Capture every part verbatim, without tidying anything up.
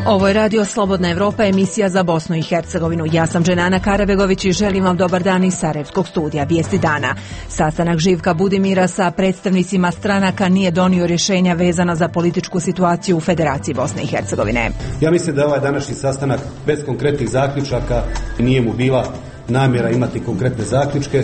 Ovo je Radio Slobodna Evropa, emisija za Bosnu i Hercegovinu. Ja sam Dženana Karabegović i želim vam dobar dan iz Sarajevskog studija Vijesti dana. Sastanak Živka Budimira sa predstavnicima stranaka nije donio rješenja vezana za političku situaciju u Federaciji Bosne i Hercegovine. Ja mislim da ovaj današnji sastanak bez konkretnih zaključaka, nije mu bila namjera imati konkretne zaključke,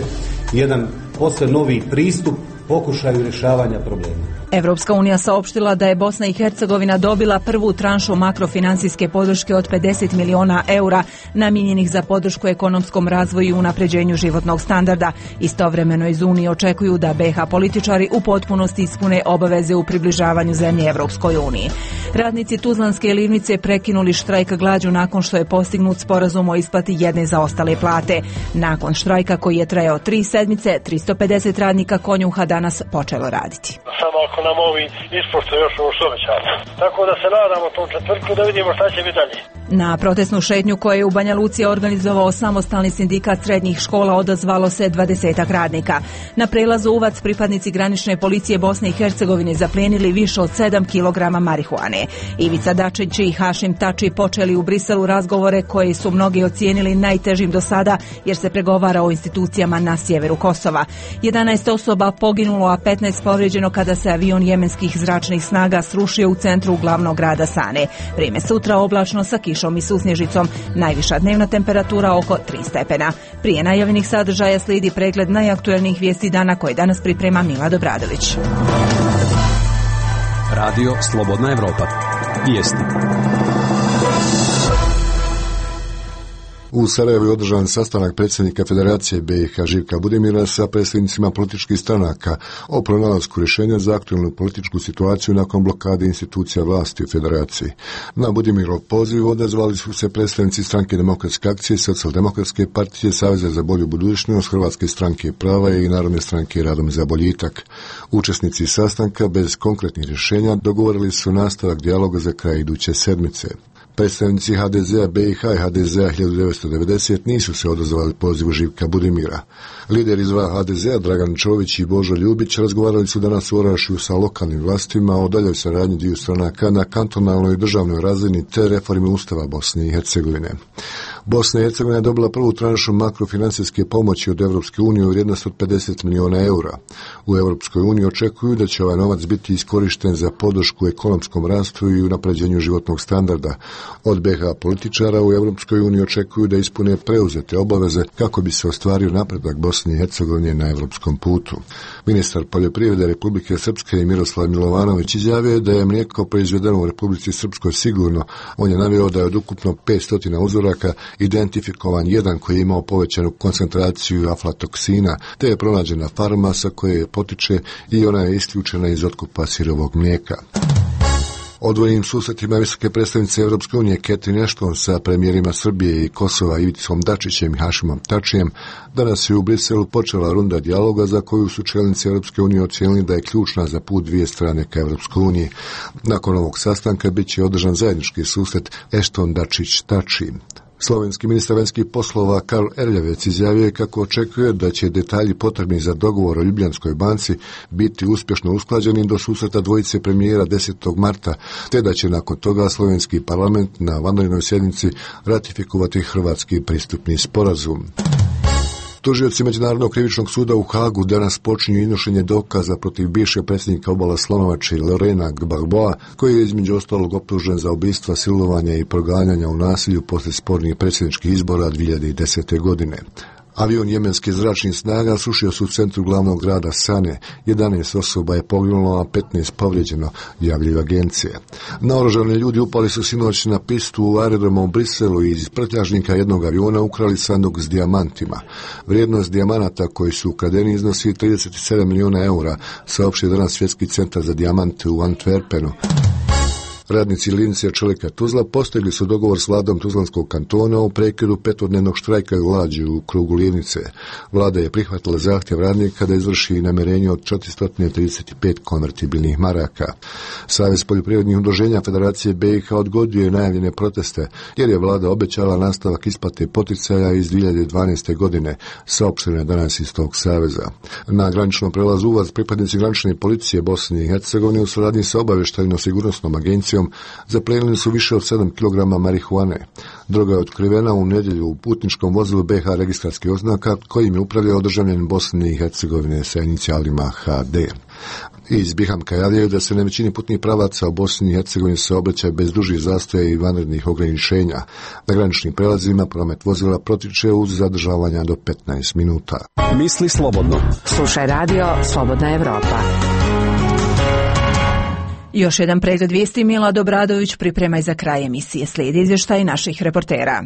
jedan posve novi pristup pokušaju rješavanja problema. Evropska unija saopštila da je Bosna i Hercegovina dobila prvu tranšu makrofinансijske podrške od pedeset miliona eura namijenjenih za podršku ekonomskom razvoju i unapređenju životnog standarda. Istovremeno iz Unije očekuju da B H političari u potpunosti ispune obaveze u približavanju zemlje Evropskoj uniji. Radnici Tuzlanske livnice prekinuli štrajk glađu nakon što je postignut sporazum o isplati jedne zaostale plate. Nakon štrajka koji je trajao tri sedmice, tristo pedeset radnika Konjuha danas počelo raditi. Samo ako nam ovi ispoštuje još ovo što obećano. Tako da se nadamo tom četvrtku da vidimo šta će biti dalje. Na protestnu šetnju koju je u Banja Luci organizovao samostalni sindikat srednjih škola odazvalo se dvadesetak radnika. Na prelazu Uvac pripadnici granične policije Bosne i Hercegovine zaplijenili više od sedam kilograma marihuane. Ivica Dačić i Hašim Tači počeli u Briselu razgovore koje su mnogi ocijenili najtežim do sada jer se pregovara o institucijama na sjeveru Kosova. jedanaest osoba poginulo, a petnaest povrijeđeno kada se avion jemenskih zračnih snaga srušio u centru glavnog grada Sane. Vrijeme sutra oblačno sa kišom i susnježicom. Najviša dnevna temperatura oko tri stepena. Prije najavljenih sadržaja slijedi pregled najaktuelnijih vijesti dana koje danas priprema Mila Dobradović. Radio Slobodna Evropa. Vijesti. U Sarajevu je održan sastanak predsjednika Federacije B i H Živka Budimira sa predstavnicima političkih stranaka o pronalasku rješenja za aktualnu političku situaciju nakon blokade institucija vlasti u Federaciji. Na Budimirov poziv odazvali su se predstavnici Stranke demokratske akcije, Socijaldemokratske partije, Saveza za bolju budućnost, Hrvatske stranke prava i Narodne stranke radom za boljitak. Učesnici sastanka bez konkretnih rješenja dogovorili su nastavak dijaloga za kraj iduće sedmice. Predstavnici H D Z-a B i H i H D Z-a hiljadu devetsto devedeset nisu se odazvali pozivu Živka Budimira. Lideri iz H D Z-a Dragan Čović i Božo Ljubić razgovarali su danas u Orašju sa lokalnim vlastima o daljoj saradnji dviju stranaka na kantonalnoj i državnoj razini te reformi Ustava Bosne i Hercegovine. Bosna i Hercegovina je dobila prvu tranšu makrofinансijske pomoći od Evropske unije u vrijednosti od pedeset miliona eura. U Evropskoj uniji očekuju da će ovaj novac biti iskorišten za podršku ekonomskom rastu i unapređenju životnog standarda. Od B H političara u Evropskoj uniji očekuju da ispune preuzete obaveze kako bi se ostvario napredak Bosne i Hercegovine na evropskom putu. Ministar poljoprivrede Republike Srpske Miroslav Milovanović izjavio da je mlijeko proizvedeno u Republici Srpskoj sigurno. On je naveo da je od ukupno petsto uzoraka identifikovan jedan koji je imao povećanu koncentraciju aflatoksina, te je pronađena farma sa koje potiče i ona je isključena iz otkupa sirovog mlijeka. Odvojenim susretima visoke predstavnice Evropske unije Catherine Ashton sa premijerima Srbije i Kosova Ivicom Dačićem i Hašimom Tačijem danas je u Briselu počela runda dijaloga za koju su čelnici Evropske unije ocijenili da je ključna za put dvije strane ka Evropskoj uniji. Nakon ovog sastanka bit će održan zajednički susret Ashton Dačić Tači. Slovenski ministar vanjskih poslova Karl Erljavec izjavio je kako očekuje da će detalji potrebni za dogovor o Ljubljanskoj banci biti uspješno usklađeni do susreta dvojice premijera desetog marta, te da će nakon toga slovenski parlament na vanrednoj sjednici ratifikovati hrvatski pristupni sporazum. Tužioci Međunarodnog krivičnog suda u Hagu danas počinju iznošenje dokaza protiv bivšeg predsjednika Obala Slonovače Lorena Gbagboa, koji je između ostalog optužen za ubistva, silovanja i proganjanja u nasilju poslije spornih predsjedničkih izbora dvije hiljade desete. godine. Avion jemenskih zračnih snaga srušio se u centru glavnog grada Sane. jedanaest osoba je poginulo, a petnaest povrijeđeno, javljaju agencije. Naoružani ljudi upali su sinoć na pistu u aerodromu u Briselu i iz prtljažnika jednog aviona ukrali sanduk s dijamantima. Vrijednost dijamanata koji su ukradeni iznosi trideset sedam miliona eura, saopštio danas Svjetski centar za dijamante u Antwerpenu. Radnici Livnice Čelika Tuzla postigli su dogovor s vladom Tuzlanskog kantona u prekidu petodnevnog štrajka glađu u krugu Livnice. Vlada je prihvatila zahtjev radnika da izvrši namirenje od četiristo trideset pet konvertibilnih maraka. Savez poljoprivrednih udruženja Federacije B i H odgodio je najavljene proteste, jer je vlada obećala nastavak isplate poticaja iz dvije hiljade dvanaeste. godine, saopšteno je danas iz tog saveza. Na graničnom prelazu Uvac pripadnici granične policije Bosne i Hercegovine u suradnji sa obavještajno-sigurnosnom agencijom policijom zaplenili su više od sedam kilograma marihuane. Droga je otkrivena u nedjelju u putničkom vozilu B H registarskih oznaka kojim je upravljao državljanin Bosne i Hercegovine sa inicijalima H D. Iz Bihamka javljaju da se na većini putnih pravaca u Bosni i Hercegovini se obraća bez dužih zastoja i vanrednih ograničenja. Na graničnim prelazima promet vozila protiče uz zadržavanja do petnaest minuta. Misli slobodno. Slušaj radio Slobodna Evropa. Još jedan pregled vijesti. Milad Obradović priprema i za kraj emisije. Slijedi izvještaj naših reportera.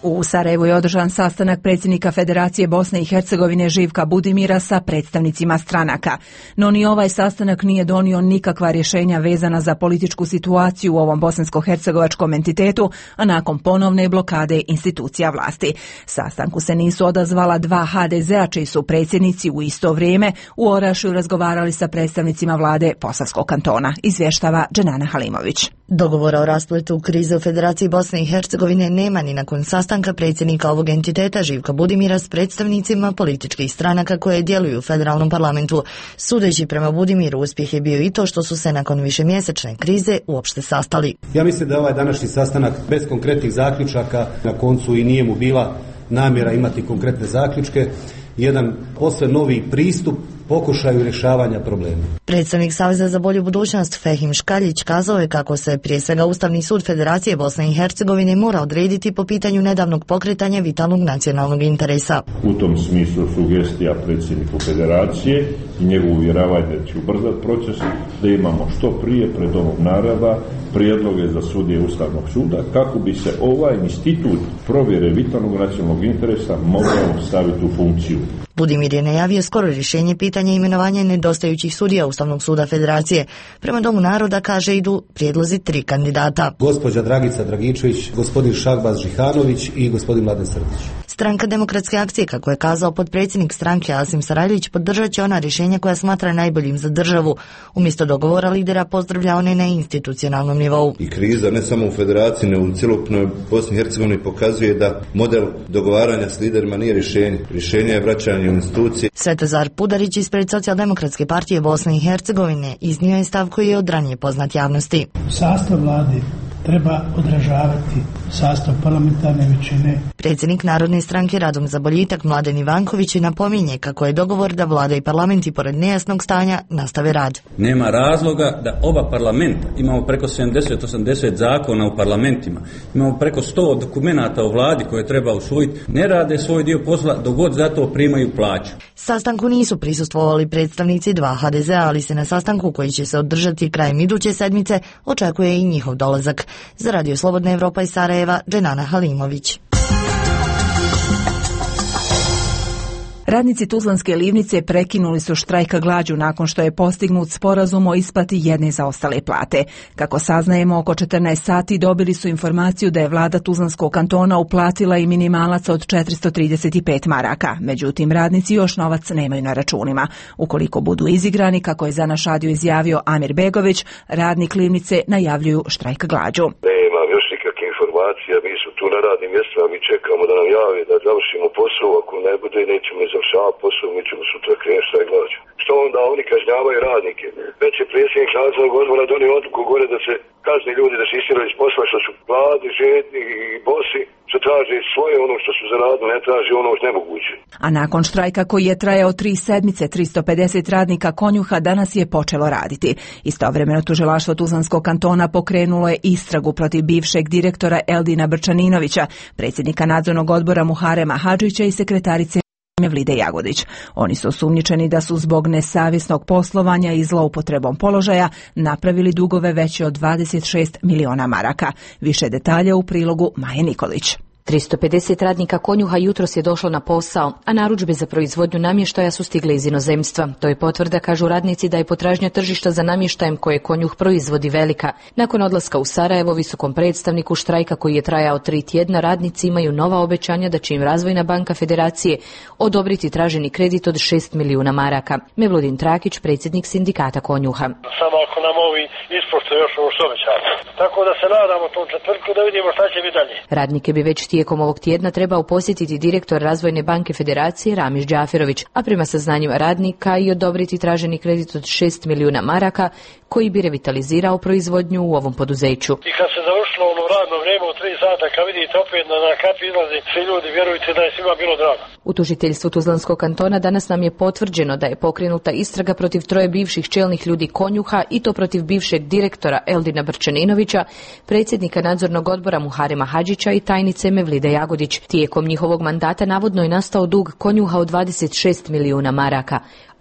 U Sarajevu je održan sastanak predsjednika Federacije Bosne i Hercegovine Živka Budimira sa predstavnicima stranaka. No ni ovaj sastanak nije donio nikakva rješenja vezana za političku situaciju u ovom bosansko-hercegovačkom entitetu, a nakon ponovne blokade institucija vlasti. Sastanku se nisu odazvala dva H D Z-a čiji su predsjednici u isto vrijeme u Orašju razgovarali sa predstavnicima vlade Posavskog kantona, izvještava Dženana Halimović. Dogovora o raspletu krize u Federaciji Bosne i Hercegovine nema ni nakon sastanka predsjednika ovog entiteta Živka Budimira s predstavnicima političkih stranaka koje djeluju u federalnom parlamentu. Sudeći prema Budimiru, uspjeh je bio i to što su se nakon višemjesečne krize uopšte sastali. Ja mislim da je ovaj današnji sastanak bez konkretnih zaključaka, na koncu i nije mu bila namjera imati konkretne zaključke, jedan posve novi pristup pokušaju rješavanja problema. Predstavnik Saveza za bolju budućnost Fehim Škaljić kazao je kako se prije svega Ustavni sud Federacije Bosne i Hercegovine mora odrediti po pitanju nedavnog pokretanja vitalnog nacionalnog interesa. U tom smislu sugestija predsjedniku Federacije i njegovu uvjeravanje da će ubrzati proces, da imamo što prije pred ovog naroda prijedloge za sudije Ustavnog suda kako bi se ovaj institut provjere vitalnog nacionalnog interesa mogao staviti u funkciju. Budimir je najavio skoro rješenje pitanja imenovanja nedostajućih sudija Ustavnog suda Federacije. Prema Domu naroda, kaže, idu prijedlozi tri kandidata. Gospođa Dragica Dragičević, gospodin Šahbaz Žihanović i gospodin Mladen Srdić. Stranka Demokratske akcije, kako je kazao potpredsjednik stranke Asim Sarajlić, podržat će ona rješenja koja smatra najboljim za državu. Umjesto dogovora lidera pozdravlja one na institucionalnom nivou. I kriza ne samo u Federaciji, nego u cjelokupnoj Bosni i Hercegovini pokazuje da model dogovaranja s liderima nije rješenje. Rješenje je vraćanje u institucije. Svetozar Pudarić ispred Socijaldemokratske partije Bosne i Hercegovine iznio je stav koji je od ranije poznat javnosti. Sastav vlade treba odražavati sastav parlamentarne većine. Predsjednik Narodne stranke Radom za boljitak Mladen Ivanković napominje kako je dogovor da vlada i parlamenti pored nejasnog stanja nastave rad. Nema razloga da oba parlamenta, imamo preko sedamdeset do osamdeset zakona u parlamentima, imamo preko sto dokumenata o vladi koje treba usvojiti, ne rade svoj dio posla dok god za to primaju plaću. Sastanku nisu prisustvovali predstavnici dva H D Z-a, ali se na sastanku koji će se održati krajem iduće sedmice očekuje i njihov dolazak. Za Radio Slobodna Evropa iz Sarajeva, Dženana Halimović. Radnici Tuzlanske livnice prekinuli su štrajk glađu nakon što je postignut sporazum o isplati jedne zaostale plate. Kako saznajemo, oko četrnaest sati dobili su informaciju da je vlada Tuzlanskog kantona uplatila i minimalac od četiristo trideset pet maraka. Međutim, radnici još novac nemaju na računima. Ukoliko budu izigrani, kako je za naš radio izjavio Amir Begović, radnik livnice najavljuju štrajk glađu. informacija, mi su tu na radnim mjestima, mi čekamo da nam jave da završimo posao, ako ne bude nećemo završavati posao, mi ćemo sutra krenuti štrajk glađu. Što onda oni kažnjavaju radnike? Već je predsjednik nadzornog odbora donio odluku gore da se kazni ljudi da se istjeraju iz posla što su gladi, žedni i bosi, što traže svoje ono što su zaradili, ne traže ono što nemoguće. A nakon štrajka koji je trajao tri sedmice, tristo pedeset radnika Konjuha danas je počelo raditi. Istovremeno tužilaštvo Tuzlanskog kantona pokrenulo je istragu protiv bivšeg direktora Eldina Brčaninovića, predsjednika nadzornog odbora Muharema Hadžića i sekretarice Mevlide Jagodić. Oni su osumnjičeni da su zbog nesavjesnog poslovanja i zloupotrebom položaja napravili dugove veće od dvadeset šest miliona maraka. Više detalja u prilogu Maje Nikolić. tristo pedeset radnika Konjuha jutros je došlo na posao, a narudžbe za proizvodnju namještaja su stigle iz inozemstva. To je potvrda, kažu radnici, da je potražnja tržišta za namještajem koje Konjuh proizvodi velika. Nakon odlaska u Sarajevo, visokom predstavniku štrajka koji je trajao tri tjedna, radnici imaju nova obećanja da će im Razvojna banka Federacije odobriti traženi kredit od šest milijuna maraka. Mevludin Trakić, predsjednik sindikata Konjuha. Samo ako nam ovi ispoštuju još ovo što obećamo. Tako da se nadamo tom četvrtku da vidimo šta će biti dalje. Radnike bi već tijekom ovog tjedna trebao posjetiti direktor Razvojne banke Federacije Ramiz Džaferović, a prema saznanjima radnika i odobriti traženi kredit od šest milijuna maraka koji bi revitalizirao proizvodnju u ovom poduzeću. I kad se završilo ono radno vrijeme u tri sata, kad vidite opet na, na kapi izlazi svi ljudi, vjerujte da je svima bilo drago. U tužiteljstvu Tuzlanskog kantona danas nam je potvrđeno da je pokrenuta istraga protiv troje bivših čelnih ljudi Konjuha i to protiv bivšeg direktora Eldina Brčaninovića, predsjednika nadzornog odbora Muharema Hadžića i tajnice Mevlide Jagodić. Tijekom njihovog mandata navodno je nastao dug Konjuha od dvadeset šest milijuna maraka.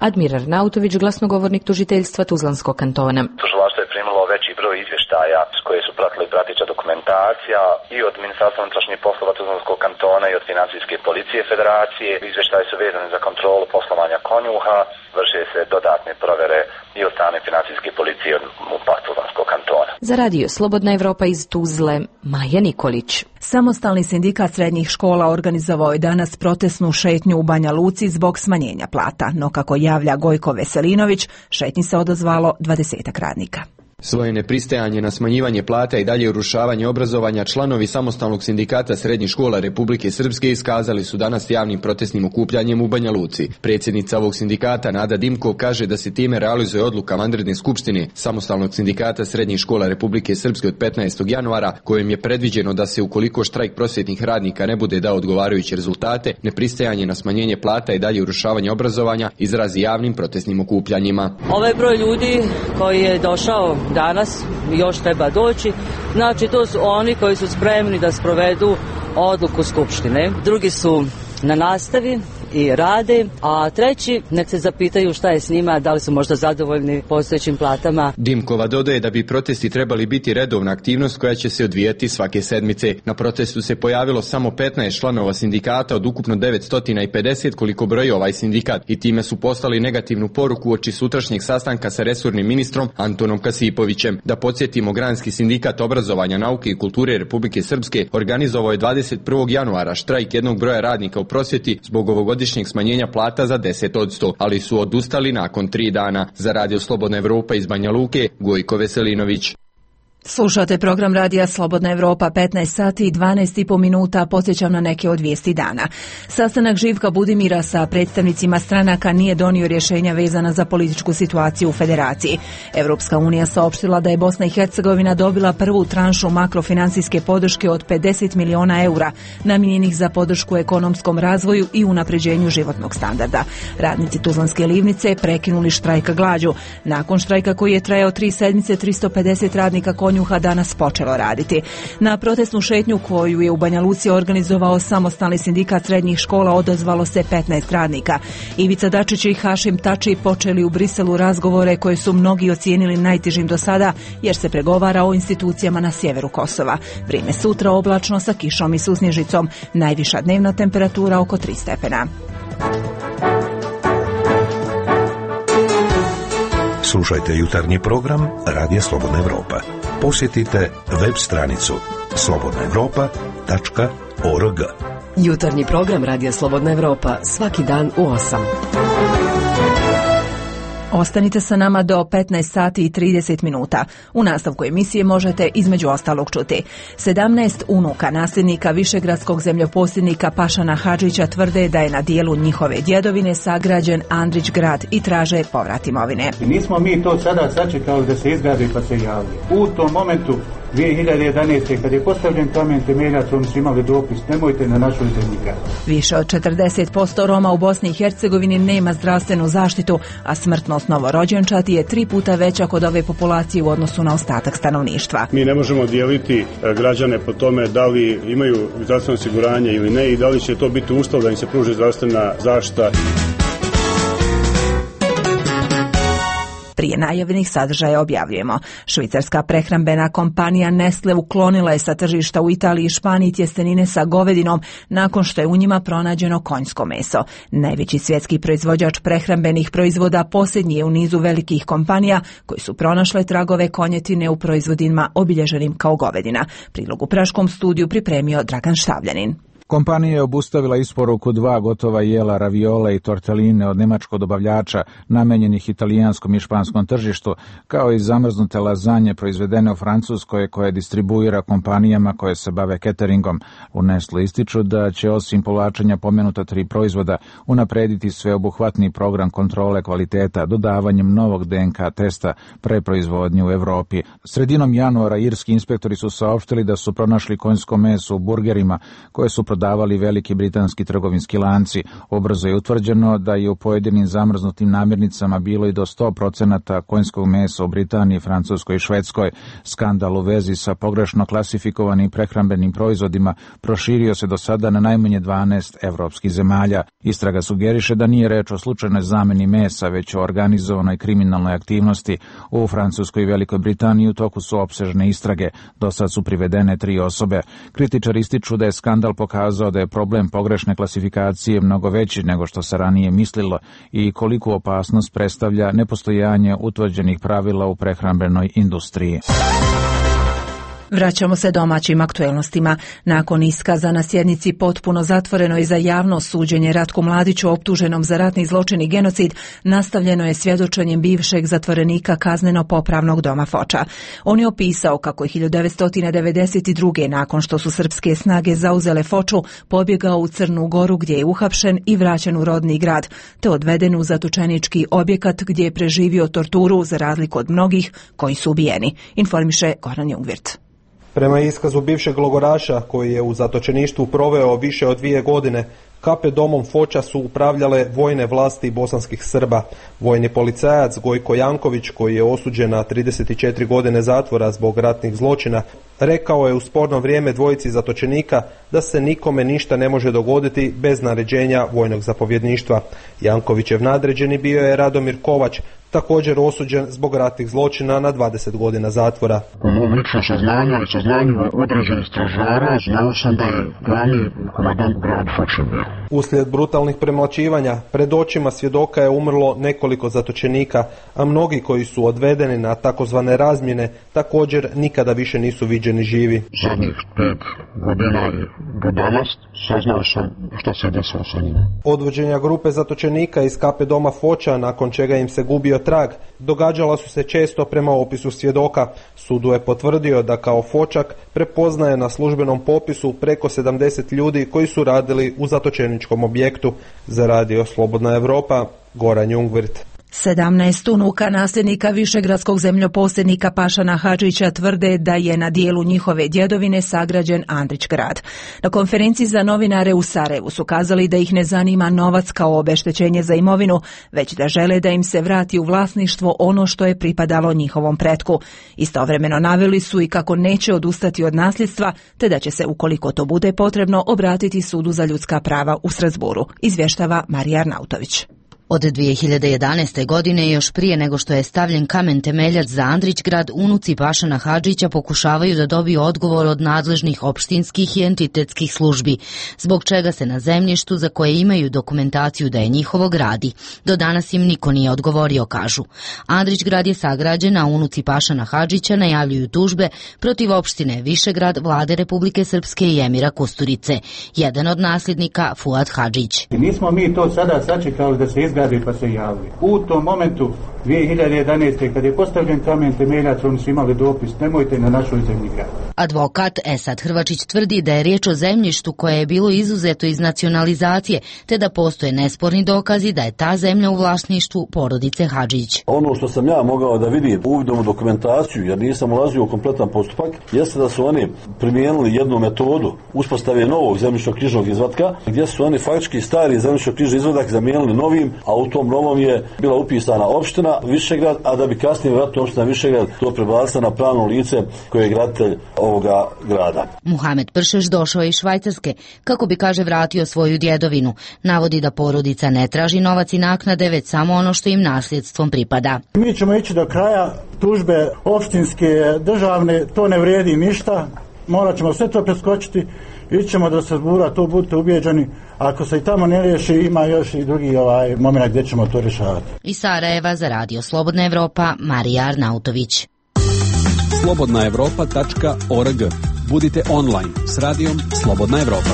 Admir Arnautović, glasnogovornik tužiteljstva Tuzlanskog kantona. Tužilaštvo je primilo veći broj izvještaja s koje su pratili prateća dokumentacija i od Ministarstva unutrašnjih poslova Tuzlanskog kantona i od Financijske policije Federacije. Izvještaji su vezani za kontrolu poslovanja Konjuha, vrše se dodatne provjere i od strane Financijske policije od MUP-a Tuzlanskog kantona. Za radio Slobodna Evropa iz Tuzle, Maja Nikolić. Samostalni sindikat srednjih škola organizovao je danas protestnu šetnju u Banja Luci zbog smanjenja plata, no kako javlja Gojko Veselinović, šetnji se odazvalo dvadesetak radnika. Svoje nepristajanje na smanjivanje plata i dalje urušavanje obrazovanja članovi Samostalnog sindikata srednjih škola Republike Srpske iskazali su danas javnim protestnim okupljanjem u Banja Luci. Predsjednica ovog sindikata Nada Dimkov kaže da se time realizuje odluka vanredne skupštine Samostalnog sindikata srednjih škola Republike Srpske od petnaestog januara, kojim je predviđeno da se ukoliko štrajk prosvjetnih radnika ne bude dao odgovarajuće rezultate, nepristajanje na smanjenje plata i dalje urušavanje obrazovanja izrazi javnim protestnim okupljanjima. Ovaj broj ljudi koji je došao danas još treba doći, znači to su oni koji su spremni da sprovedu odluku Skupštine. Drugi su na nastavi i rade, a treći nek se zapitaju šta je s njima, da li su možda zadovoljni postojećim platama. Dimkova dodaje da bi protesti trebali biti redovna aktivnost koja će se odvijati svake sedmice. Na protestu se pojavilo samo petnaest članova sindikata od ukupno devetsto pedeset koliko broji ovaj sindikat i time su poslali negativnu poruku oči sutrašnjeg sastanka sa resornim ministrom Antonom Kasipovićem. Da podsjetimo, Granski sindikat obrazovanja, nauke i kulture Republike Srpske organizovao je dvadeset prvog januara štrajk jednog broja radnika u prosvjeti zbog ovogodišnjeg smanjenja plata za deset posto, ali su odustali nakon tri dana. Za radio Slobodna Evropa iz Banja Luke, Gojko Veselinović. Slušate program radija Slobodna Evropa, petnaest sati i dvanaest i po minuta, podsjećam na neke od vijesti dana. Sastanak Živka Budimira sa predstavnicima stranaka nije donio rješenja vezana za političku situaciju u Federaciji. Evropska unija saopštila da je Bosna i Hercegovina dobila prvu tranšu makrofinancijske podrške od pedeset miliona eura, namijenjenih za podršku ekonomskom razvoju i unapređenju životnog standarda. Radnici Tuzlanske livnice prekinuli štrajka glađu. Nakon štrajka koji je trajao tri sedmice, tristo pedeset radnika Konjuha danas počelo raditi. Na protestnu šetnju koju je u Banja Luci organizovao Samostalni sindikat srednjih škola odazvalo se petnaest radnika. Ivica Dačić i Hašim Tači počeli u Briselu razgovore koje su mnogi ocijenili najtežim do sada, jer se pregovara o institucijama na sjeveru Kosova. Vrijeme sutra oblačno sa kišom i susnježicom. Najviša dnevna temperatura oko tri stepena. Slušajte jutarnji program Radija Slobodna Evropa. Posjetite web stranicu slobodna evropa tačka org. Jutarnji program Radija Slobodna Evropa svaki dan u osam. Ostanite sa nama do petnaest sati i trideset minuta. U nastavku emisije možete između ostalog čuti. sedamnaest unuka nasljednika višegradskog zemljoposjednika Pašana Hadžića tvrde da je na dijelu njihove djedovine sagrađen Andrić grad i traže povrat imovine. Nismo mi to sada sačekali da se izgradi pa se javi. U tom momentu dvije hiljade jedanaeste. kad je postavljen kamen temeljac, oni su imali dopis: nemojte na našoj zemlji graditi. Više od četrdeset posto Roma u Bosni i Hercegovini nema zdravstvenu zaštitu, a smrtnost novorođenčati je tri puta veća kod ove populacije u odnosu na ostatak stanovništva. Mi ne možemo dijeliti građane po tome da li imaju zdravstveno osiguranje ili ne i da li će to biti uslov da im se pruži zdravstvena zaštita. Prije najavljenih sadržaja objavljujemo. Švicarska prehrambena kompanija Nestle uklonila je sa tržišta u Italiji i Španiji tjestenine sa govedinom nakon što je u njima pronađeno konjsko meso. Najveći svjetski proizvođač prehrambenih proizvoda posljednji je u nizu velikih kompanija koji su pronašle tragove konjetine u proizvodima obilježenim kao govedina. Prilog u praškom studiju pripremio Dragan Štavljanin. Kompanija je obustavila isporuku dva gotova jela, raviole i torteline od nemačkog dobavljača namenjenih italijanskom i španskom tržištu, kao i zamrznute lazanje proizvedene u Francuskoj koje distribuira kompanijama koje se bave cateringom. U Nestle ističu da će osim povlačenja pomenuta tri proizvoda unaprediti sveobuhvatni program kontrole kvaliteta dodavanjem novog D N K testa pre proizvodnje u Evropi. Sredinom januara irski inspektori su saopštili da su pronašli konjsko meso u burgerima koje su prodavali veliki britanski trgovinski lanci. Ubrzo je utvrđeno da je u pojedinim zamrznutim namirnicama bilo i do sto procenata konjskog mesa u Britaniji, Francuskoj i Švedskoj. Skandal u vezi sa pogrešno klasifikovanim prehrambenim proizvodima proširio se do sada na najmanje dvanaest evropskih zemalja. Istraga sugeriše da nije reč o slučajnoj zameni mesa, već o organizovanoj kriminalnoj aktivnosti. U Francuskoj i Velikoj Britaniji u toku su opsežne istrage. Do sad su privedene tri osobe. Kritičari ističu da je skandal pokazao da je problem pogrešne klasifikacije mnogo veći nego što se ranije mislilo i koliku opasnost predstavlja nepostojanje utvrđenih pravila u prehrambenoj industriji. Vraćamo se domaćim aktuelnostima. Nakon iskaza na sjednici potpuno zatvorenoj za javno suđenje Ratku Mladiću optuženom za ratni zločin i genocid, nastavljeno je svjedočenjem bivšeg zatvorenika kazneno-popravnog doma Foča. On je opisao kako je hiljadu devetsto devedeset druge. nakon što su srpske snage zauzele Foču, pobjegao u Crnu Goru gdje je uhapšen i vraćen u rodni grad, te odveden u zatočenički objekat gdje je preživio torturu za razliku od mnogih koji su ubijeni, informiše Goran Jungvirt. Prema iskazu bivšeg logoraša, koji je u zatočeništvu proveo više od dvije godine, K P domom Foča su upravljale vojne vlasti bosanskih Srba. Vojni policajac Gojko Janković, koji je osuđen na trideset četiri godine zatvora zbog ratnih zločina, rekao je u sporno vrijeme dvojici zatočenika da se nikome ništa ne može dogoditi bez naređenja vojnog zapovjedništva. Jankovićev nadređeni bio je Radomir Kovač, također osuđen zbog ratnih zločina na dvadeset godina zatvora. Po mom ličnom saznanju i saznanjima određenih stražara znao sam da je glavni komandant grad Foča bio. Uslijed brutalnih premlaćivanja, pred očima svjedoka je umrlo nekoliko zatočenika, a mnogi koji su odvedeni na takozvane razmjene također nikada više nisu viđeni živi. Zadnjih pet godina je do danas saznao sam šta se desilo sa njima. Odvođenja grupe zatočenika iz K P doma Foča, nakon čega im se gubio trag, događala su se često prema opisu svjedoka. Sudu je potvrdio da kao Fočak prepoznaje na službenom popisu preko sedamdeset ljudi koji su radili u zatočeničkom objektu. Za Radio Slobodna Evropa, Goran Jungvirt. sedamnaest unuka nasljednika višegradskog zemljoposjednika Pašana Hadžića tvrde da je na dijelu njihove djedovine sagrađen Andrić grad. Na konferenciji za novinare u Sarajevu su kazali da ih ne zanima novac kao obeštećenje za imovinu, već da žele da im se vrati u vlasništvo ono što je pripadalo njihovom pretku. Istovremeno naveli su i kako neće odustati od nasljedstva, te da će se, ukoliko to bude potrebno, obratiti Sudu za ljudska prava u Strasburu, izvještava Marija Arnautović. Od dvije hiljade jedanaeste. godine, još prije nego što je stavljen kamen temeljac za Andrićgrad, unuci Pašana Hadžića pokušavaju da dobiju odgovor od nadležnih opštinskih i entitetskih službi, zbog čega se na zemljištu za koje imaju dokumentaciju da je njihovo gradi. Do danas im niko nije odgovorio, kažu. Andrićgrad je sagrađen, a unuci Pašana Hadžića najavljuju tužbe protiv opštine Višegrad, vlade Republike Srpske i emira Kusturice. Jedan od nasljednika, Fuad Hadžić. Nismo mi to sada sačekali da se izgradi pa se javili. U tom momentu dvije hiljade jedanaeste. kad je postavljen kamen temeljac, oni su imali dopis: nemojte na našoj zemlji graditi. Advokat Esad Hrvačić tvrdi da je riječ o zemljištu koje je bilo izuzeto iz nacionalizacije, te da postoje nesporni dokazi da je ta zemlja u vlasništvu porodice Hadžić. Ono što sam ja mogao da vidim uvidom u dokumentaciju, jer nisam ulazio u kompletan postupak, jeste da su oni primijenili jednu metodu uspostave novog zemljišno-knjižnog izvatka, gdje su oni faktički stari zemljišno-knjižni izvadak zamijenili novim, a u tom novom je bila upisana opština Višegrad, a da bi kasnije vratno opština Višegrad to prebacila na pravno lice koje je graditelj ovoga grada. Muhamed Pršeš došao je iz Švajcarske kako bi, kaže, vratio svoju djedovinu. Navodi da porodica ne traži novac i naknade, već samo ono što im nasljedstvom pripada. Mi ćemo ići do kraja, tužbe opštinske, državne, to ne vrijedi ništa, morat ćemo sve to preskočiti, ićemo do Strasbura, to budite ubijeđeni. Ako se i tamo ne riješi, ima još i drugi ovaj moment gdje ćemo to rješavati. Iz Sarajeva za Radio Slobodna Evropa, Marija Arnautović. slobodna evropa tačka org. Budite online s radijom Slobodna Evropa.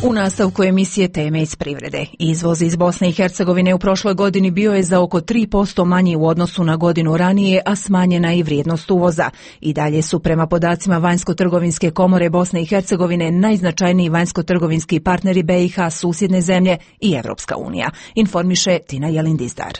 U nastavku emisije Teme iz privrede. Izvoz iz Bosne i Hercegovine u prošloj godini bio je za oko tri posto manji u odnosu na godinu ranije, a smanjena i vrijednost uvoza. I dalje su prema podacima Vanjsko-trgovinske komore Bosne i Hercegovine najznačajniji vanjsko-trgovinski partneri B i H, susjedne zemlje i Evropska unija, informiše Tina Jelindizdar.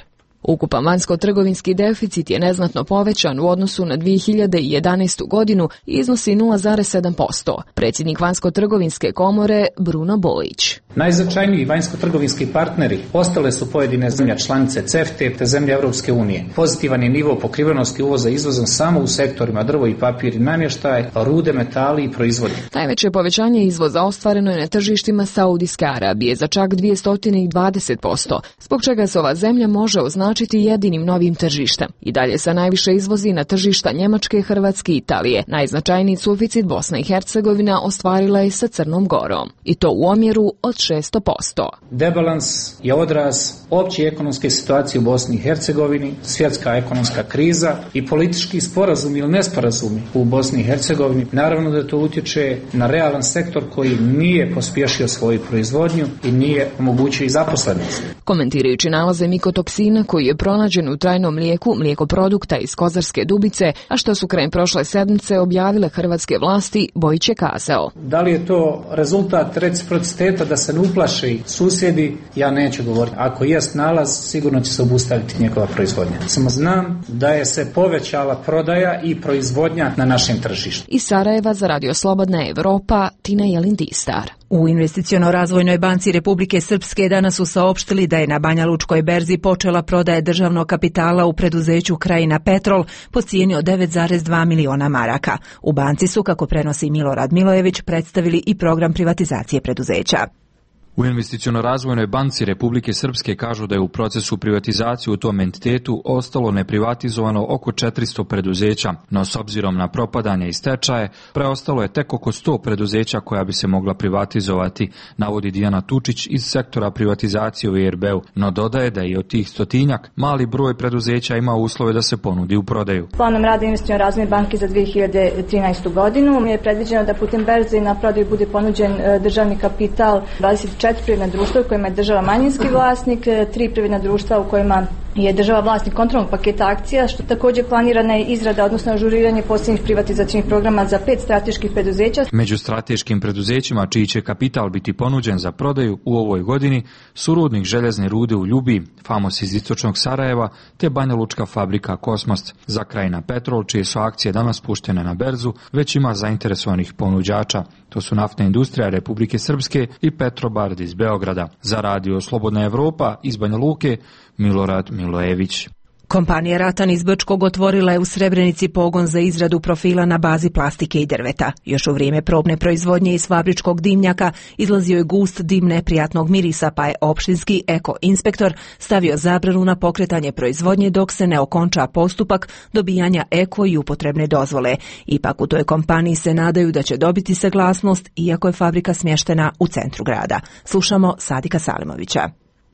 Ukupan vanjsko-trgovinski deficit je neznatno povećan u odnosu na dvije hiljade jedanaestu godinu i iznosi nula zarez sedam posto. Predsjednik Vanjsko-trgovinske komore Bruno Bojić. Najznačajniji vanjsko-trgovinski partneri ostale su pojedine zemlje članice C E F T E te zemlje Europske unije. Pozitivan je nivo pokrivenosti uvoza izvozom samo u sektorima drvo i papir i namještaj, rude, metali i proizvodi. Najveće povećanje izvoza ostvareno je na tržištima Saudijske Arabije za čak dvjesto dvadeset posto, zbog čega se ova zemlja može označiti jedinim novim tržištem. I dalje se najviše izvozi na tržišta Njemačke, Hrvatske i Italije. Najznačajniji suficit Bosna i Hercegovina ostvarila je sa Crnom Gorom. I to u omjeru od šest posto. Debalans je odraz opće ekonomske situacije u Bosni i Hercegovini, svjetska ekonomska kriza i politički sporazumi ili nesporazumi u Bosni i Hercegovini. Naravno da to utječe na realan sektor koji nije pospješio svoju proizvodnju i nije omogućio i zaposlenost. Komentirajući nalaze mikotoksina koji je pronađen u trajnom mlijeku, mlijekoprodukta iz Kozarske Dubice, a što su krajem prošle sedmice objavile hrvatske vlasti, Bojić je kazao. Da li je to rezultat reciprociteta da se ne uplaši susjedi, ja neću govoriti. Ako jest nalaz, sigurno će se obustaviti njegova proizvodnja. Samo znam da je se povećala prodaja i proizvodnja na našem tržištu. Iz Sarajeva za Radio Slobodna Evropa, Tina Jelindistar. U Investiciono-razvojnoj banci Republike Srpske danas su saopštili da je na Banja Lučkoj berzi počela prodaja državnog kapitala u preduzeću Krajina Petrol po cijeni od devet zarez dva miliona maraka. U banci su, kako prenosi Milorad Milojević, predstavili i program privatizacije preduzeća. U Investiciono-razvojnoj banci Republike Srpske kažu da je u procesu privatizacije u tom entitetu ostalo neprivatizovano oko četiristo preduzeća, no s obzirom na propadanje i stečaje, preostalo je tek oko sto preduzeća koja bi se mogla privatizovati, navodi Dijana Tučić iz sektora privatizacije u E R B-u, no dodaje da je od tih stotinjak mali broj preduzeća ima uslove da se ponudi u prodaju. Planom rada Investiciono-razvojne banke za dvije hiljade trinaestu godinu je predviđeno da putem berze na prodaju bude ponuđen državni kapital dvadeset četiri privredna društva u kojima je država manjinski vlasnik, tri privredna društva u kojima je država vlasnik kontrolnog paketa akcija, što također planirana je izrada, odnosno ažuriranje posljednjih privatizacijnih programa za pet strateških preduzeća. Među strateškim preduzećima čiji će kapital biti ponuđen za prodaju u ovoj godini su rudnik željezne rude u Ljubi, Famos iz istočnog Sarajeva, te Banja Lučka fabrika Kosmos. Za Krajina Petrol, čije su akcije danas puštene na berzu, već ima zainteresovanih ponuđača. To su Naftna industrija Republike Srpske i Petrobard iz Beograda. Za Radio Slobodna Evropa iz Banja Luke, Milorad Milojević. Kompanija Ratan iz Brčkog otvorila je u Srebrenici pogon za izradu profila na bazi plastike i drveta. Još u vrijeme probne proizvodnje iz fabričkog dimnjaka izlazio je gust dim neprijatnog mirisa, pa je opštinski eko inspektor stavio zabranu na pokretanje proizvodnje dok se ne okonča postupak dobijanja eko i upotrebne dozvole. Ipak u toj kompaniji se nadaju da će dobiti saglasnost, iako je fabrika smještena u centru grada. Slušamo Sadika Salimovića.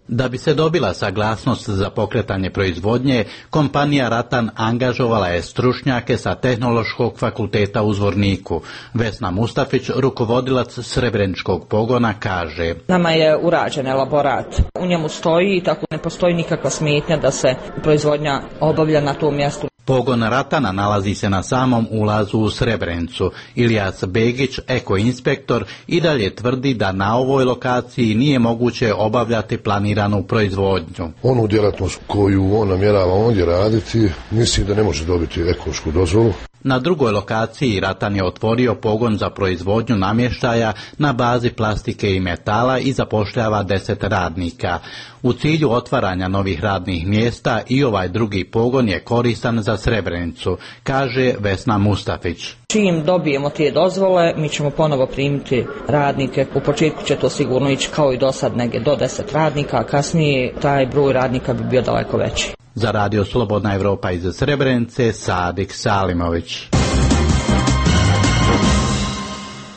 Da bi se dobila saglasnost za pokretanje proizvodnje, kompanija Ratan angažovala je stručnjake sa Tehnološkog fakulteta u Zvorniku. Vesna Mustafić, rukovodilac Srebreničkog pogona, kaže: Nama je urađen elaborat. U njemu stoji i tako ne postoji nikakva smetnja da se proizvodnja obavlja na tom mjestu. Pogon Ratana nalazi se na samom ulazu u Srebrenicu. Ilijas Begić, ekoinspektor, i dalje tvrdi da na ovoj lokaciji nije moguće obavljati planiranu proizvodnju. Onu djelatnost koju on namjerava ondje raditi, mislim da ne može dobiti ekološku dozvolu. Na drugoj lokaciji Ratan je otvorio pogon za proizvodnju namještaja na bazi plastike i metala i zapošljava deset radnika. U cilju otvaranja novih radnih mjesta i ovaj drugi pogon je koristan za Srebrenicu, kaže Vesna Mustafić. Čim dobijemo te dozvole, mi ćemo ponovo primiti radnike. U početku će to sigurno ići kao i do sad, negdje do deset radnika, a kasnije taj broj radnika bi bio daleko veći. Za Radio Slobodna Evropa iz Srebrenice, Sadik Salimović.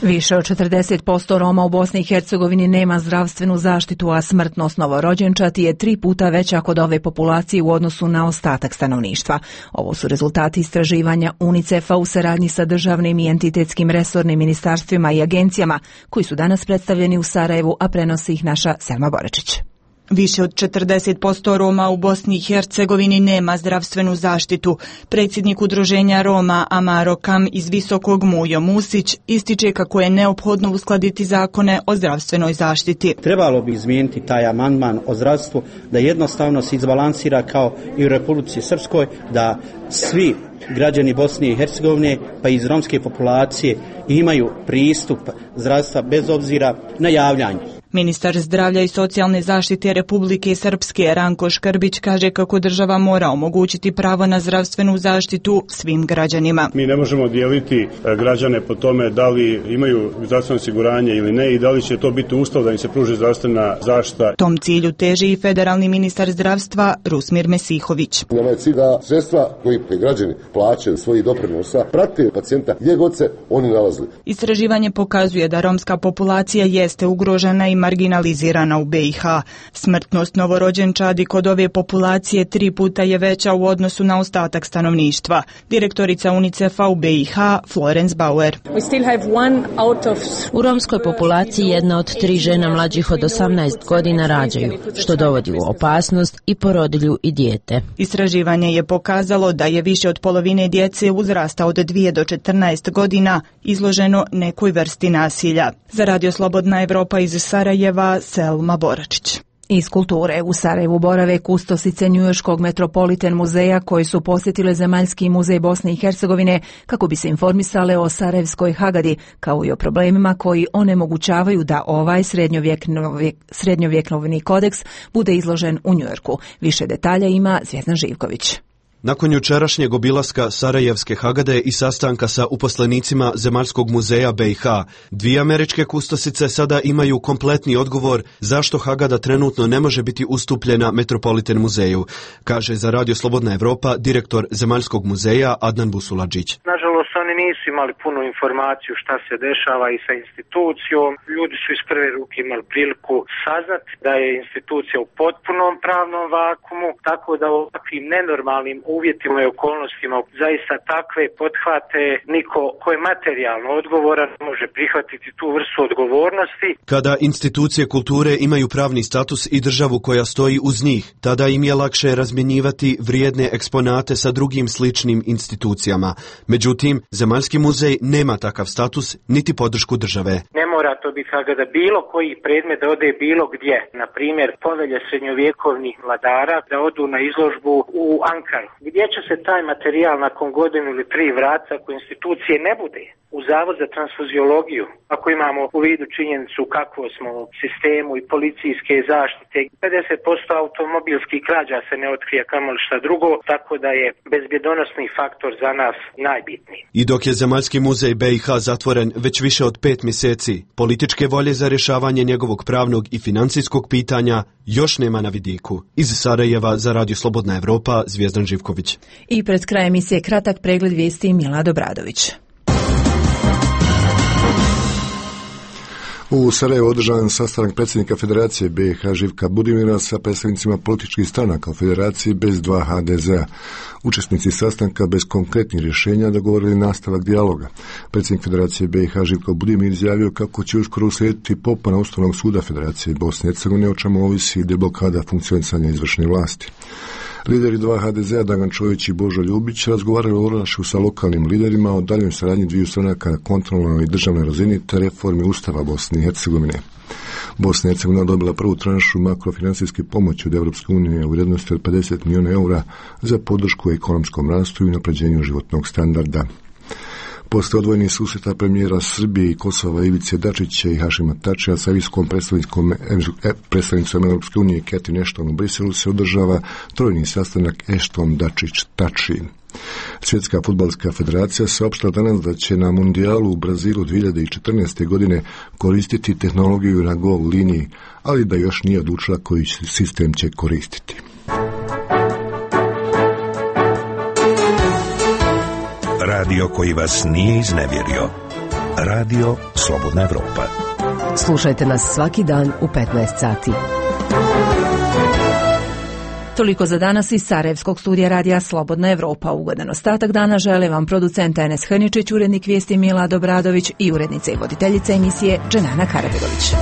Više od četrdeset posto Roma u Bosni i Hercegovini nema zdravstvenu zaštitu, a smrtnost novorođenčati je tri puta veća kod ove populacije u odnosu na ostatak stanovništva. Ovo su rezultati istraživanja UNICEF-a u saradnji sa državnim i entitetskim resornim ministarstvima i agencijama, koji su danas predstavljeni u Sarajevu, a prenosi ih naša Selma Borečić. Više od četrdeset posto Roma u Bosni i Hercegovini nema zdravstvenu zaštitu. Predsjednik udruženja Roma Amaro Kam iz Visokog Mujo Musić ističe kako je neophodno uskladiti zakone o zdravstvenoj zaštiti. Trebalo bi izmijeniti taj amandman o zdravstvu da jednostavno se izbalansira kao i u Republici Srpskoj, da svi građani Bosne i Hercegovine pa i iz romske populacije imaju pristup zdravstva bez obzira na javljanje. Ministar zdravlja i socijalne zaštite Republike Srpske Ranko Škrbić kaže kako država mora omogućiti pravo na zdravstvenu zaštitu svim građanima. Mi ne možemo dijeliti građane po tome da li imaju zdravstveno osiguranje ili ne i da li će to biti uslov da im se pruži zdravstvena zaštita. Tom cilju teži i federalni ministar zdravstva Rusmir Mesihović. Nama je cilj da sredstva koji građani plaćaju svojih doprinosa prate pacijenta gdje god se oni nalazili. Istraživanje pokazuje da romska populacija jeste ugrožena i marginalizirana u B i H. Smrtnost novorođenčadi kod ove populacije tri puta je veća u odnosu na ostatak stanovništva. Direktorica UNICEF-a u B i H Florence Bauer. U romskoj populaciji jedna od tri žena mlađih od osamnaest godina rađaju, što dovodi u opasnost i porodilju i dijete. Istraživanje je pokazalo da je više od polovine djece uzrasta od dvije do četrnaest godina izloženo nekoj vrsti nasilja. Za Radio Slobodna Evropa iz Sarajeva, Selma Boračić. Iz kulture u Sarajevu borave kustosice Njujorškog Metropolitan muzeja koji su posjetile Zemaljski muzej Bosne i Hercegovine kako bi se informisale o Sarajevskoj Hagadi, kao i o problemima koji onemogućavaju da ovaj srednjovjekovni kodeks bude izložen u Njujorku. Više detalja ima Zvjezdan Živković. Nakon jučerašnjeg obilaska Sarajevske Hagade i sastanka sa uposlenicima Zemaljskog muzeja B i H, dvije američke kustosice sada imaju kompletni odgovor zašto Hagada trenutno ne može biti ustupljena Metropolitan muzeju, kaže za Radio Slobodna Evropa direktor Zemaljskog muzeja Adnan Busuladžić. Nažalost, oni nisu imali punu informaciju šta se dešava i sa institucijom. Ljudi su iz prve ruke imali priliku saznati da je institucija u potpunom pravnom vakumu, tako da u ovakvim nenormalnim uvjetima i okolnostima zaista takve pothvate niko ko je materijalno odgovoran može prihvatiti tu vrstu odgovornosti. Kada institucije kulture imaju pravni status i državu koja stoji uz njih, tada im je lakše razmjenjivati vrijedne eksponate sa drugim sličnim institucijama. Međutim, Zemaljski muzej nema takav status niti podršku države. Ne mora to biti da bilo koji predmet da ode bilo gdje. Na primjer, povelje srednjovjekovnih vladara da odu na izložbu u Ankaru. Gdje će se taj materijal nakon godinu ili tri vrata ako institucije ne bude? U Zavod za transfuziologiju, ako imamo u vidu činjenicu kako smo u sistemu i policijske zaštite, pedeset posto automobilskih krađa se ne otkrije kamoli šta drugo, tako da je bezbjedonosni faktor za nas najbitniji. I dok je Zemaljski muzej B i H zatvoren već više od pet mjeseci, političke volje za rješavanje njegovog pravnog i financijskog pitanja još nema na vidiku. Iz Sarajeva za Radio Slobodna Evropa, Zvjezdan Živković. I pred krajem emisije kratak pregled vijesti Milad Obradović. U Sarajevu održan sastanak predsjednika Federacije B i H Živka Budimira sa predstavnicima političkih stranaka u Federaciji bez dva H D Z-a. Učesnici sastanka bez konkretnih rješenja dogovorili nastavak dijaloga. Predsjednik Federacije B i H Živko Budimir izjavio kako će uskoro uslijediti popuna Ustavnog suda Federacije Bosne i Hercegovine, o čemu ovisi deblokada funkcionisanja izvršne vlasti. Lideri dva H D Z-a Dragan Čović i Božo Ljubić razgovaraju o Orašu sa lokalnim liderima o daljnjoj saradnji dviju stranaka na kontrolnoj i državnoj razini te reformi Ustava Bosne i Hercegovine. Bosna i Hercegovina dobila prvu tranšu makrofinancijske pomoći od Europske unije u vrijednosti od pedeset milijuna eura za podršku ekonomskom rastu i unapređenju životnog standarda. Posle odvojenih susreta premijera Srbije i Kosova Ivice Dačića i Hašima Tačija sa visokom predstavnicom Europske unije Catherine Ashton u Briselu se održava trojni sastanak Ashton-Dačić-Tači. Svjetska fudbalska federacija saopštila danas da će na mundijalu u Brazilu dvije hiljade četrnaeste. godine koristiti tehnologiju na gol liniji, ali da još nije odlučila koji sistem će koristiti. Radio koji vas nije iznevjerio. Radio Slobodna Evropa. Slušajte nas svaki dan u petnaest sati. Toliko za danas iz Sarajevskog studija radija Slobodna Evropa. Ugodan ostatak dana žele vam producent Enes Hrničić, urednik vijesti Milad Obradović i urednica i voditeljica emisije Dženana Karabegović.